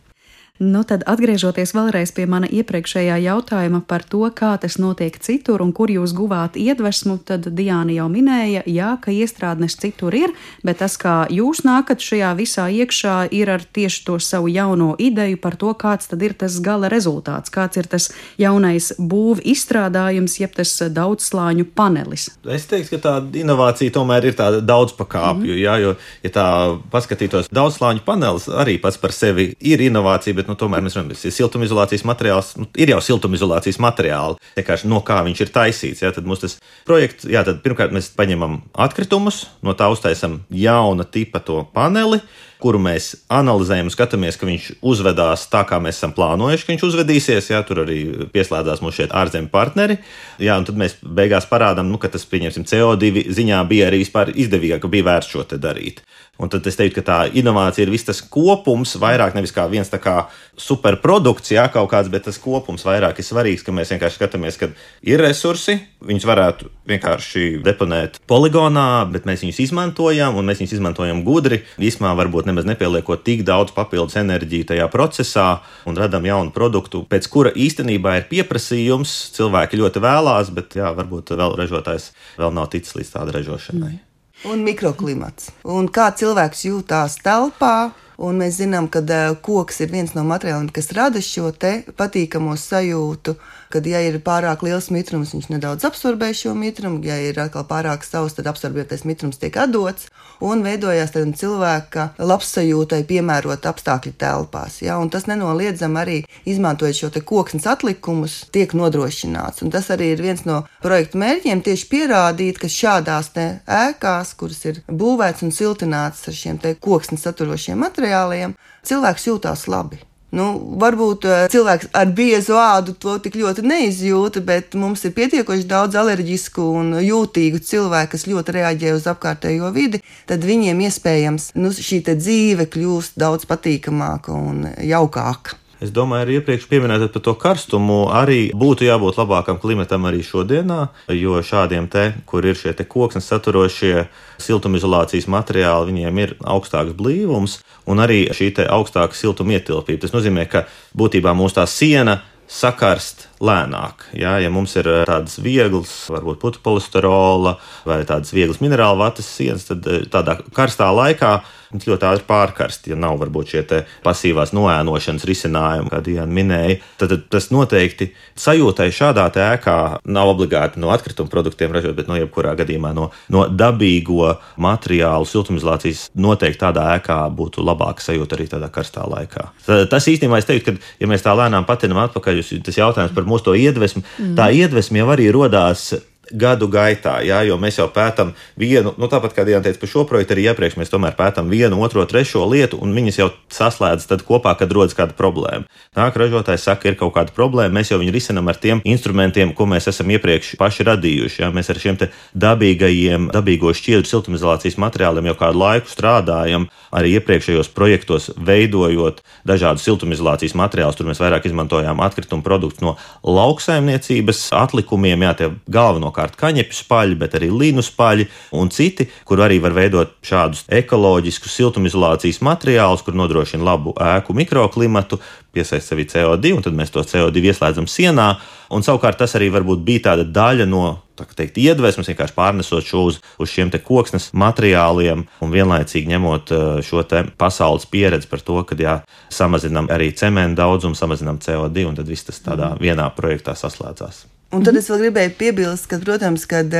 Nu, tad atgriežoties vēlreiz pie mana iepriekšējā jautājuma par to, kā tas notiek citur un kur jūs guvāt iedvesmu, tad Diāna jau minēja, jā, ka iestrādnes citur ir, bet tas, kā jūs nākat šajā visā iekšā, ir ar tieši to savu jauno ideju par to, kāds tad ir tas gala rezultāts, kāds ir tas jaunais būv izstrādājums, jeb tas daudzslāņu panelis. Es teiktu, ka tā inovācija tomēr ir tāda daudzpakāpju, mm-hmm. jā, jo, ja tā paskatītos, daudzslāņu panelis arī pats par sevi ir inovācija, bet nu, tomēr mēs runājam, ka siltumizolācijas materiāls, nu, ir jau siltumizolācijas materiāli, vienkārši no kā viņš ir taisīts. Jā, tad mums tas projekts, jā, tad pirmkārt mēs paņemam atkritumus, no tā uztaisam jauna tipa to paneli, kuru mēs analizējam un skatāmies, ka viņš uzvedās tā, kā mēs esam plānojuši, ka viņš uzvedīsies. Jā, tur arī pieslēdzās mums šeit ārzemju partneri. Jā, un tad mēs beigās parādām, nu, ka tas, pieņemsim, C O divi ziņā bija arī vispār izdevīgāk, ka bija vērts šo te darīt. Un tad es teiktu, ka tā inovācija ir viss tas kopums, vairāk nevis kā viens tā kā superprodukts, jā, kaut kāds, bet tas kopums vairāk ir svarīgs, ka mēs vienkārši skatāmies, ka ir resursi, viņus varētu vienkārši deponēt poligonā, bet mēs viņus izmantojam, un mēs viņus izmantojam gudri, īsumā varbūt nemaz nepieliekot tik daudz papildus enerģiju tajā procesā un radam jaunu produktu, pēc kura īstenībā ir pieprasījums, cilvēki ļoti vēlās, bet jā, varbūt vēl ražotājs vēl nav ticis līdz tāda ražošanai. Mm. Un mikroklimats. Un kā cilvēks jūtās telpā, un mēs zinām, ka koks ir viens no materiāliem, kas rada šo te patīkamo sajūtu, kad, ja ir pārāk liels mitrums, viņš nedaudz absorbē šo mitrumu, ja ir atkal pārāk savs, tad absorbētais mitrums tiek atdots, un veidojās tādam cilvēka labsajūtai piemērot apstākļi telpās. Ja? Un tas nenoliedzam arī, izmantojot šo te koksnes atlikumus, tiek nodrošināts. Un tas arī ir viens no projektu mērķiem, tieši pierādīt, ka šādās te ēkās, kuras ir būvēts un siltināts ar šiem te koksnes saturošiem materiāliem, cilvēks jūtās labi. Nu, varbūt cilvēks ar biezu ādu to tik ļoti neizjūta, bet mums ir pietiekoši daudz alerģisku un jūtīgu cilvēku, kas ļoti reaģē uz apkārtējo vidi, tad viņiem iespējams nu, šī te dzīve kļūst daudz patīkamāka un jaukāka. Es domāju, arī iepriekš pieminējot par to karstumu, arī būtu jābūt labākam klimatam arī šodienā, jo šādiem te, kur ir šie te koksnes saturošie siltumizolācijas materiāli, viņiem ir augstāks blīvums un arī šī te augstāka siltuma ietilpība. Tas nozīmē, ka būtībā mūsu tā siena sakarst lēnāk. Jā, ja mums ir tādas vieglas, varbūt putu polisterola vai tādas vieglas minerālu vatas sienas, tad tādā karstā laikā viņas ļoti ātri pārkarst, ja nav varbūt šie te pasīvās noēnošanas risinājumi, kā Diana minēja. Tad, tad tas noteikti sajūtai šādā te ēkā nav obligāti no atkrituma produktiem ražot, bet no jebkurā gadījumā no, no dabīgo materiālu siltumizolācijas noteikti tādā ēkā būtu labāka sajūta arī tādā karstā laikā. Tas īstenībā es teiktu, ka ja mēs tā lēnām patinam atpakaļ, tas jautājums par mūsu to iedvesmu, mm. tā iedvesma jau arī rodās gadu gaitā, jā, jo mēs jau pētam vienu, nu tāpat kā Diana teica par šo projektu, arī iepriekš mēs tomēr pētam vienu, otro, trešo lietu, un viņas jau saslēdz tad kopā, kad rodas kāda problēma. Nāk ražotājs saka, ir kaut kāda problēma, mēs jau viņu risinam ar tiem instrumentiem, ko mēs esam iepriekš paši radījuši, jā, mēs ar šiem te dabīgajiem, dabīgo šķiedru siltumizolācijas materiāliem jau kādu laiku strādājam, arī iepriekšējos projektos veidojot dažādus siltumizolācijas materiālus, tur mēs vairāk izmantojām atkritumu produktus no lauksaimniecības atlikumiem, jā, tie galveno kārt kaņepju spaļi, bet arī līnu spaļi un citi, kur arī var veidot šādus ekoloģiskus siltumizolācijas materiālus, kur nodrošina labu ēku mikroklimatu, piesaist sevi C O divu, un tad mēs to C O divu ieslēdzam sienā, un savukārt tas arī varbūt bija tāda daļa no, tā kā teikt, iedvesmas, vienkārši pārnesot šo uz, uz šiem te koksnes materiāliem un vienlaicīgi ņemot šo te pasaules pieredzi par to, kad jā, samazinām arī cementu daudzumu, samazinām C O divu, un tad viss tas tādā vienā projektā saslēdzās. Un tad es vēl gribēju piebilst, ka, protams, kad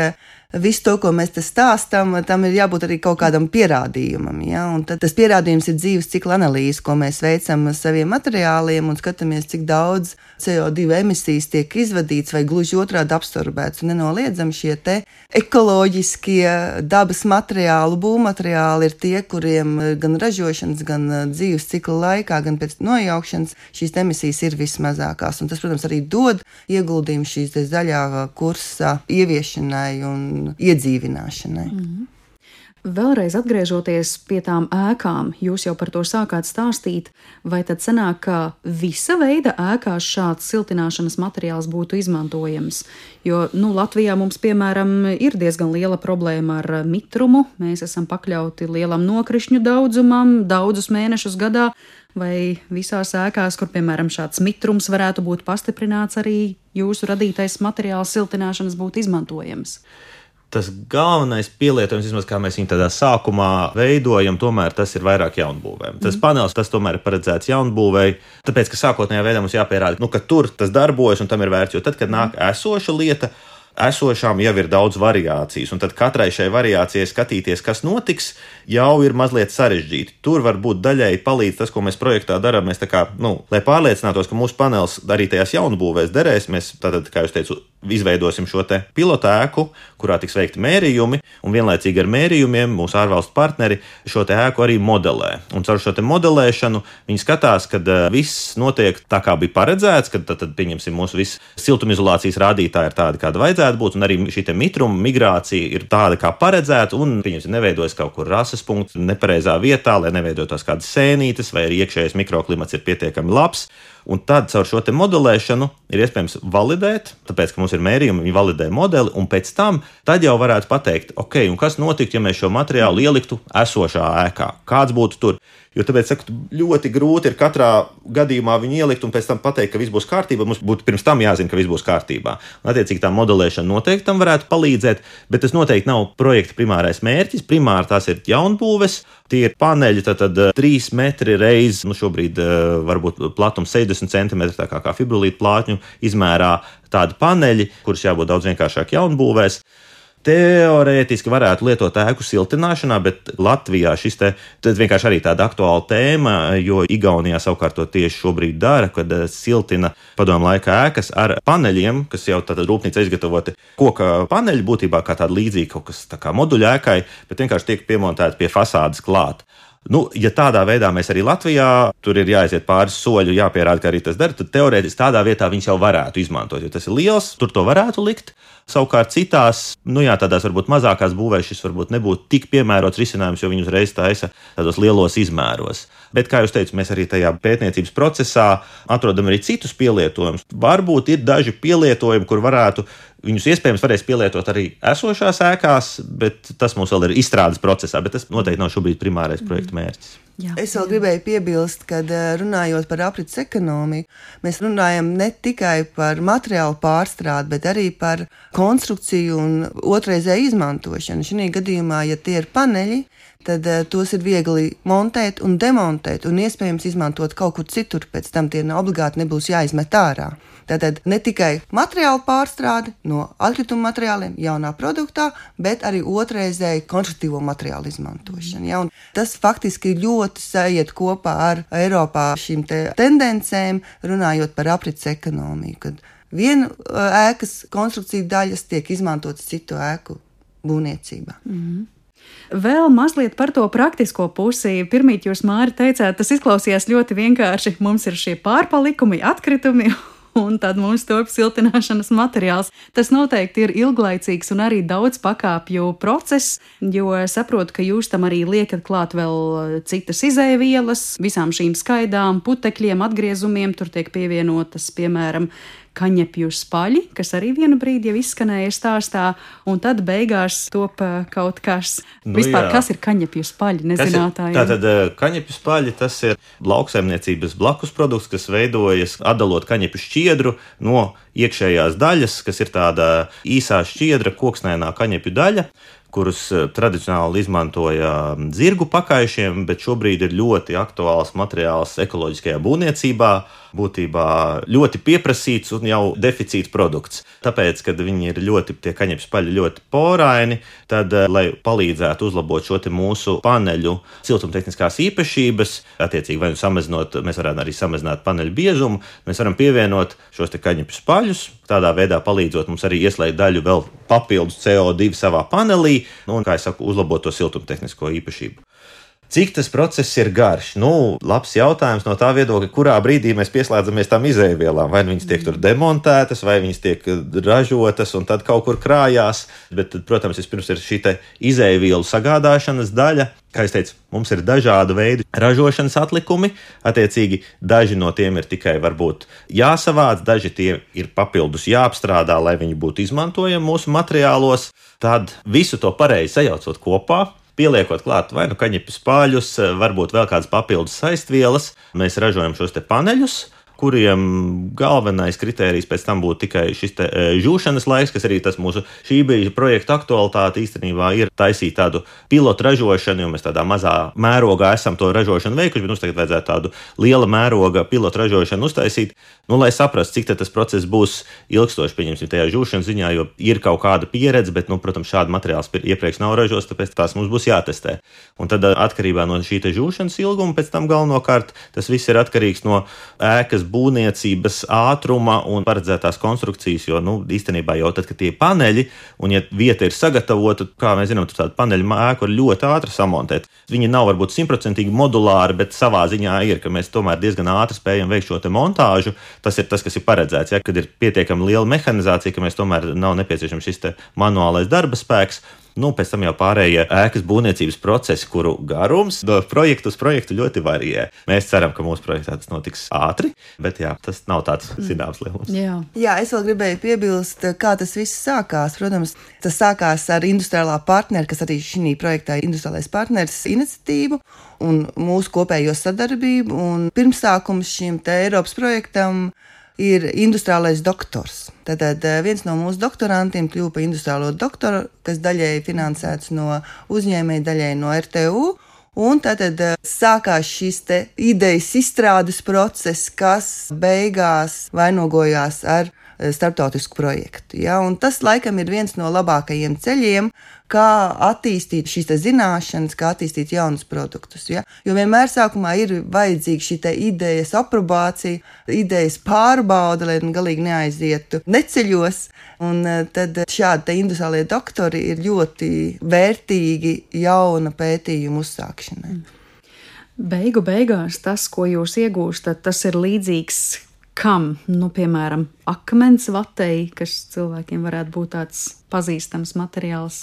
visu to, ko mēs te stāstam, tam ir jābūt arī kaut kādam pierādījumam. Ja? Un tad tas pierādījums ir dzīves cikla analīze, ko mēs veicam saviem materiāliem un skatāmies, cik daudz C O divu emisijas tiek izvadīts vai gluži otrādi absorbēts. Un nenoliedzami šie te ekoloģiskie dabas materiāli, būvmateriāli ir tie, kuriem gan ražošanas, gan dzīves cikla laikā, gan pēc nojaukšanas šīs emisijas ir vismazākās. Un tas, protams, arī dod ieguldījumu šīs zaļā kursa ieviešanai un iedzīvināšanai. Mm-hmm. Vēlreiz atgriežoties pie tām ēkām, jūs jau par to sākāt stāstīt, vai tad sanāk, ka visa veida ēkās šāds siltināšanas materiāls būtu izmantojams? Jo, nu, Latvijā mums, piemēram, ir diezgan liela problēma ar mitrumu, mēs esam pakļauti lielam nokrišņu daudzumam, daudzus mēnešus gadā, vai visās ēkās, kur, piemēram, šāds mitrums varētu būt pastiprināts, arī jūsu radītais materiāls siltināšanas būtu izmantojams? Tas galvenais pielietojums, vismaz kā mēs viņu tādā sākumā veidojam, tomēr tas ir vairāk jaunbūvēm. Tas mm. panelis, tas tomēr ir paredzēts jaunbūvēji, tāpēc, ka sākotnējā veidā mums jāpierāda, nu, ka tur tas darbojas un tam ir vērts, jo tad, kad nāk esoša lieta, esošām jau ir daudz variācijas, un tad katrai šai variācijai skatīties, kas notiks, jau ir mazliet sarežģīti. Tur var būt daļēji palīdz tas, ko mēs projektā darām. Mēs tā kā, nu, lai pārliecinātos, ka mūsu panelis arī tajās jaunbūvēs derēs, mēs tātad, kā jūs teicu, izveidosim šo te pilotu ēku, kurā tiks veikti mērījumi, un vienlaicīgi ar mērījumiem mūsu ārvalstu partneri šo te ēku arī modelē. Un caur šo te modelēšanu viņi skatās, kad uh, viss notiek tā, kā bija paredzēts, kad tad, tad pieņemsim, mūsu viss siltumizolācijas rādītāji ir tādi, kāda vajadzētu būt, un arī šī te mitruma migrācija ir tāda, kā paredzēta, un pieņemsim, neveidojas kaut kur rases punkts nepareizā vietā, lai neveidotos kādas sēnītes, vai arī iekšējais mikroklimats ir pietiekami labs. Un tad caur šo te modelēšanu ir iespējams validēt, tāpēc, ka mums ir mērījumi, viņi validē modeli, un pēc tam tad jau varētu pateikt, ok, un kas notiktu, ja mēs šo materiālu ieliktu esošā ēkā? Kāds būtu tur? Jo tāpēc, saku, ļoti grūti ir katrā gadījumā viņu ielikt un pēc tam pateikt, ka viss būs kārtībā. Mums būtu pirms tam jāzina, ka viss būs kārtībā. Un, attiecīgi, tā modelēšana noteikti tam varētu palīdzēt, bet tas noteikti nav projekta primārais mērķis. Primāri tās ir jaunbūves, tie ir paneļi, tad, tad trīs metri reiz, nu šobrīd varbūt platums sešdesmit centimetri, tā kā, kā fibrolīta plātņu izmērā tādi paneļi, kurus jābūt daudz vienkāršāk jaunbūvēs. Teorētiski varētu lietot ēku siltināšanā, bet Latvijā šis te vienkārši arī tāda aktuāla tēma, jo Igaunijā savukārt to tieši šobrīd dara, kad siltina padomu laika ēkas ar paneļiem, kas jau tātad rūpnīca izgatavoti koka paneļi, būtībā kā tāda līdzīga kaut kas tā kā moduļa ēkai, bet vienkārši tiek piemontēti pie fasādes klāt. Nu, ja tādā veidā mēs arī Latvijā, tur ir jāaiziet pāris soļu, jāpierāda, ka arī tas dara, tad teorētiski tādā vietā viņš jau varētu izmantot, jo tas ir liels, tur to varētu likt. Savukārt citās, nu jā, tādās varbūt mazākās būvēs šis varbūt nebūtu tik piemērots risinājums, jo viņi uzreiz taisa tādos lielos izmēros. Bet, kā jau teicu, mēs arī tajā pētniecības procesā atrodam arī citus pielietojumus. Varbūt ir daži pielietojumi, kur varētu viņus iespējams varēs pielietot arī esošās ēkās, bet tas mums vēl ir izstrādes procesā, bet tas noteikti nav šobrīd primārais projekta mērķis. Jā, es vēl jā. gribēju piebilst, ka runājot par aprits ekonomiju, mēs runājam ne tikai par materiālu pārstrādi, bet arī par konstrukciju un otrreizēju izmantošanu. Šī gadījumā, ja tie ir paneļi, tad uh, tos ir viegli montēt un demontēt un iespējams izmantot kaut kur citur, pēc tam tie obligāti nebūs jāizmet ārā. Tātad ne tikai materiālu pārstrāde no atkrituma materiāliem jaunā produktā, bet arī otrreizēju konstruktīvo materiālu izmantošana. Ja? Un tas faktiski ļoti sajiet kopā ar Eiropā šīm te tendencēm, runājot par aprits ekonomiju, kad viena ēkas konstrukcija daļas tiek izmantotas citu ēku būvniecībā. Mm-hmm. Vēl mazliet par to praktisko pusi. Pirmīt jūs, Māri, teicāt, tas izklausījās ļoti vienkārši. Mums ir šie pārpalikumi, atkritumi, un tad mums top siltināšanas materiāls. Tas noteikti ir ilglaicīgs un arī daudz pakāpju process, jo saprotu, ka jūs tam arī liekat klāt vēl citas izēvielas, visām šīm skaidām, putekļiem, atgriezumiem, tur tiek pievienotas, piemēram, kaņepju spaļi, kas arī vienu brīdi jau izskanēja stāstā, un tad beigās top kaut kas. Nu, Vispār, jā. Kas ir kaņepju spaļi, nezinātājiem? Tātad kaņepju spaļi, tas ir lauksaimniecības blakus produkts, kas veidojas atdalot kaņepju šķiedru no iekšējās daļas, kas ir tāda īsā šķiedra, koksnēnā kaņepju daļa, kurus tradicionāli izmantoja zirgu pakaišiem, bet šobrīd ir ļoti aktuāls materiāls ekoloģiskajā būvniecībā, būtībā ļoti pieprasīts un jau deficīts produkts. Tāpēc, kad viņi ir ļoti, tie kaņepju spaļi ļoti poraini, tad, lai palīdzētu uzlabot šo te mūsu paneļu siltumtehniskās īpašības, attiecīgi vai nu samazinot, mēs varētu arī samazināt paneļu biezumu, mēs varam pievienot šos te kaņepju spaļus, tādā veidā palīdzot mums arī ieslēgt daļu vēl papildus C O divi savā panelī, nu, un, kā es saku, uzlabot to siltumtehnisko īpašību. Cik tas process ir garš? Nu, labs jautājums no tā viedokļa, kurā brīdī mēs pieslēdzamies tām izēvielām. Vai viņas tiek tur demontētas, vai viņas tiek ražotas un tad kaut kur krājās. Bet, tad, protams, vispirms ir šī te izēvielu sagādāšanas daļa. Kā es teicu, mums ir dažādu veidu ražošanas atlikumi. Attiecīgi, daži no tiem ir tikai varbūt jāsavāc, daži tie ir papildus jāapstrādā, lai viņi būtu izmantojami mūsu materiālos. Tad visu to pareizi sajaucot kopā, pieliekot klāt vai nu kaņepju spāļus, varbūt vēl kādas papildus saistvielas, mēs ražojam šos te paneļus, kuriem galvenais kritērijs pēc tam būtu tikai šis te žūšanas laiks, kas arī tas mūsu šī brīža projekta aktualitāte īstenībā ir taisīt tādu pilotu ražošanu, jo mēs tādā mazā mērogā esam to ražošanu veikuši, bet mums tagad vajadzētu tādu liela mēroga pilotu ražošanu uztaisīt, nu, lai saprastu, cik tas process būs ilgstoši, pieņemsim, tajā žūšanas ziņā, jo ir kaut kāda pieredze, bet, nu, protams, šāda materiāls iepriekš nav ražots, tāpēc tās mums būs jātestē. Un tad atkarībā no šī te žūšanas ilguma, pēc tam galvenokārt tas viss ir atkarīgs no ēkas būvniecības ātruma un paredzētās konstrukcijas, jo, nu, īstenībā jau tad, kad tie paneļi, un ja vieta ir sagatavota, kā mēs zinām, tur tāda paneļu ēku ir ļoti ātri samontēt. Viņi nav varbūt simtprocentīgi modulāri, bet savā ziņā ir, ka mēs tomēr diezgan ātri spējam veikt šo te montāžu. Tas ir tas, kas ir paredzēts, ja, kad ir pietiekami liela mehanizācija, ka mēs tomēr nav nepieciešams šis te manuālais darba spēks. Nu, pēc tam jau pārējie ēkas būvniecības procesi, kuru garums no projekta uz projektu ļoti varijē. Mēs ceram, ka mūsu projektā tas notiks ātri, bet jā, tas nav tāds zināms lielums. Jā. jā, es vēl gribēju piebilst, kā tas viss sākās. Protams, tas sākās ar industriālā partneri, kas arī šī projektā ir industriālais partneris iniciatīvu un mūsu kopējo sadarbību. Un pirmsākums šim te Eiropas projektam ir industriālais doktors. Tātad viens no mūsu doktorantiem kļuva par industriālo doktoru, kas daļēji finansēts no uzņēmēja, daļēji no R T U. Un tātad sākās šis te idejas izstrādes process, kas beigās vainogojās ar starptautisku projektu. Ja? Un tas laikam ir viens no labākajiem ceļiem, kā attīstīt šīs zināšanas, kā attīstīt jaunus produktus. Ja? Jo vienmēr sākumā ir vajadzīga šī idejas aprobācija, idejas pārbauda, lai galīgi neaizietu neceļos. Un tad šādi industriālie doktori ir ļoti vērtīgi jauna pētījuma uzsākšanai. Beigu beigās tas, ko jūs iegūstat, tas ir līdzīgs kam? Nu, piemēram, akmens vatei, kas cilvēkiem varētu būt tāds pazīstams materiāls.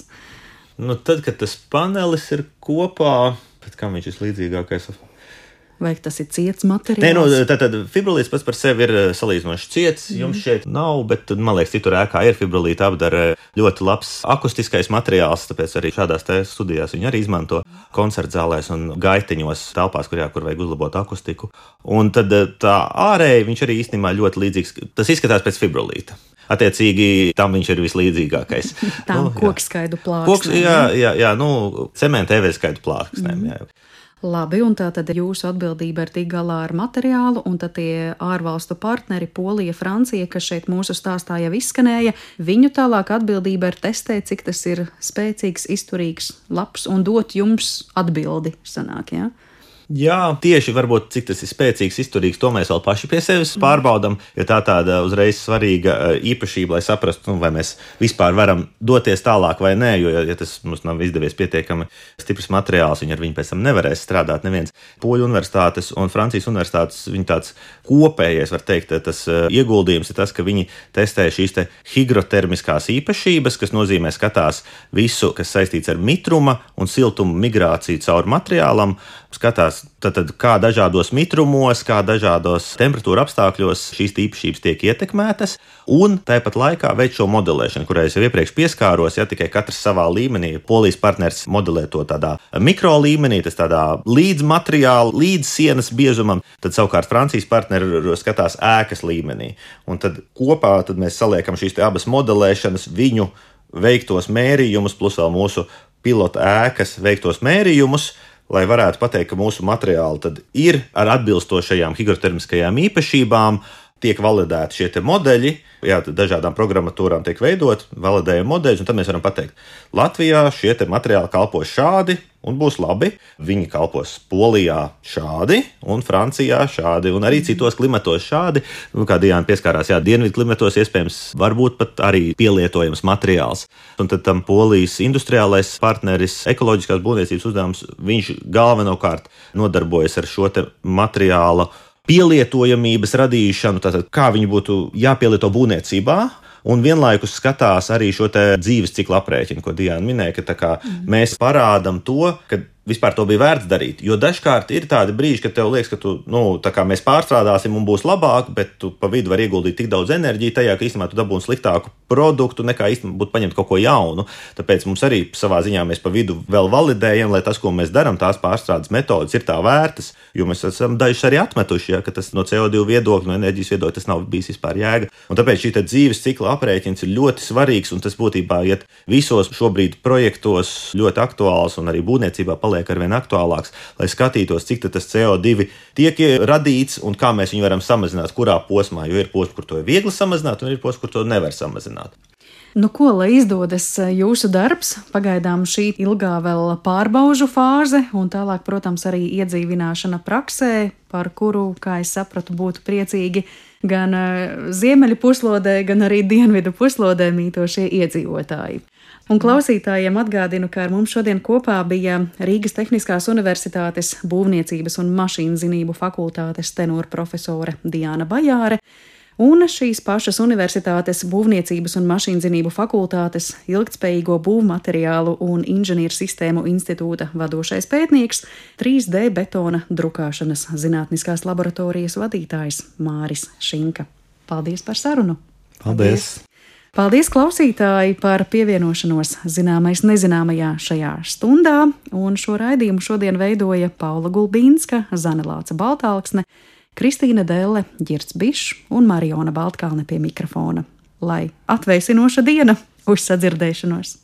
Nu, tad, kad tas panelis ir kopā, bet kam viņš ir līdzīgākais? vai tas ir ciets materiāls? Nē, nu, tātad fibrolīts pats par sevi ir salīdzinoši ciets. Mm. Jums šeit nav, bet, man liekas, citur ēkā ir fibrolīta apdara ļoti labs akustiskais materiāls, tāpēc arī šādās te studijās viņi arī izmanto koncertzālēs un gaiteņos telpās, kur, jā, kur vajag uzlabot akustiku. Un tad tā ārēji viņš arī īstenībā ļoti līdzīgs. Tas izskatās pēc fibrolīta. Attiecīgi, tam viņš ir vislīdzīgākais. Tām nu, kokskaidu plāksnēm. Jā, jā, jā, nu, cementa evēskaidu plāksnēm, mm. jā. Labi, un tā tad jūsu atbildība ir tik galā ar materiālu, un tad tie ārvalstu partneri, Polija, Francija, kas šeit mūsu stāstā jau izskanēja, viņu tālāk atbildība ir testēt, cik tas ir spēcīgs, izturīgs, labs, un dot jums atbildi, sanāk, jā? Jā, tieši varbūt cik tas ir spēcīgs, izturīgs, to mēs vēl paši pie sevis pārbaudam, jo tā tāda uzreiz svarīga īpašība, lai saprastu, nu, vai mēs vispār varam doties tālāk vai nē, jo, ja tas mums nav izdevies pietiekami stiprs materiāls, viņi ar viņu pēc tam nevarēs strādāt neviens. Poļu universitātes un Francijas universitātes, viņi tāds kopējais, var teikt, tas ieguldījums ir tas, ka viņi testē šīs te higrotermiskās īpašības, kas nozīmē skatās visu, kas saistīts ar mitruma un siltuma migrāciju caur materiālam, skatās, tad, kā dažādos mitrumos, kā dažādos temperatūra apstākļos šīs īpašības tiek ietekmētas, un tāpat laikā veic šo modelēšanu, kurai es jau iepriekš pieskāros, ja tikai katrs savā līmenī. Polijas partners modelē to tādā mikro līmenī, tas tādā līdz materiāla, līdz sienas biezumam, tad savukārt Francijas partneri skatās ēkas līmenī. Un tad kopā tad mēs saliekam šīs te abas modelēšanas, viņu veiktos mērījumus, plus vēl mūsu pilota ēkas veiktos mērījumus, lai varētu pateikt, ka mūsu materiāli tad ir ar atbilstošajām higrotermiskajām īpašībām, tiek validēti šie te modeļi, jā, dažādām programmatūrām tiek veidot, validējam modeļus, un tad mēs varam pateikt, Latvijā šie te materiāli kalpos šādi un būs labi, viņi kalpos Polijā šādi un Francijā šādi, un arī citos klimatos šādi, nu, kā Diana pieskārās, jā, dienvidu klimatos iespējams varbūt pat arī pielietojams materiāls. Un tad tam Polijas industriālais partneris, ekoloģiskās būvniecības uzdevums, viņš galvenokārt nodarbojas ar šo te materiālu pielietojamības radīšanu, tātad kā viņi būtu jāpielieto būvniecībā, un vienlaikus skatās arī šo te dzīves ciklu aprēķinu, ko Diana minēja, ka tā kā mm. mēs parādam to, ka vispār to bija vērts darīt, jo dažkārt ir tādi brīži, kad tev liekas, ka tu, nu, tā kā mēs pārstrādāsim un būs labāk, bet tu pa vidu vari ieguldīt tik daudz enerģiju tajā, ka īstenībā tu dabūni sliktāku produktu, nekā īstenībā būtu paņemt kaut ko jaunu. Tāpēc mums arī savā ziņā mēs pa vidu vēl validējam, lai tas, ko mēs darām, tās pārstrādes metodas ir tā vērtas, jo mēs esam dažus arī atmetuši, ja, ka tas no C O divi viedokļa, no enerģijas viedokļa, tas nav bijis vispār jēga. Un tāpēc šī te dzīves cikla aprēķins ir ļoti svarīgs, un tas būtībā iet visos šobrīd projektos ļoti aktuāls un arī būvniecībā paliek arvien aktuālāks, lai skatītos, cik tas C O divi tiek radīts un kā mēs viņu varam samazināt, kurā posmā, jo ir posms, kur to ir viegli samazināt, un ir posms, kur to nevar samazināt. Nu, ko, lai izdodas jūsu darbs, pagaidām šī ilgā vēl pārbaužu fāze, un tālāk, protams, arī iedzīvināšana praksē, par kuru, kā es sapratu, būtu priecīgi gan ziemeļu puslodē, gan arī dienvidu puslodē mītošie iedzīvotāji. Un klausītājiem atgādinu, ka ar mums šodien kopā bija Rīgas Tehniskās Universitātes būvniecības un mašīnzinību fakultātes tenora profesore Diana Bajāre un šīs pašas universitātes būvniecības un mašīnzinību fakultātes ilgtspējīgo būvmateriālu un inženieru sistēmu institūta vadošais pētnieks, trīs D betona drukāšanas zinātniskās laboratorijas vadītājs Māris Šinka. Paldies par sarunu! Paldies! Paldies, klausītāji, par pievienošanos zināmais nezināmajā šajā stundā, un šo raidījumu šodien veidoja Paula Gulbīnska, Zane Lāca Baltālksne, Kristīna Delle, Ģirds Bišs un Mariona Baltkalne pie mikrofona. Lai atvēsinoša diena! Uz sadzirdēšanos!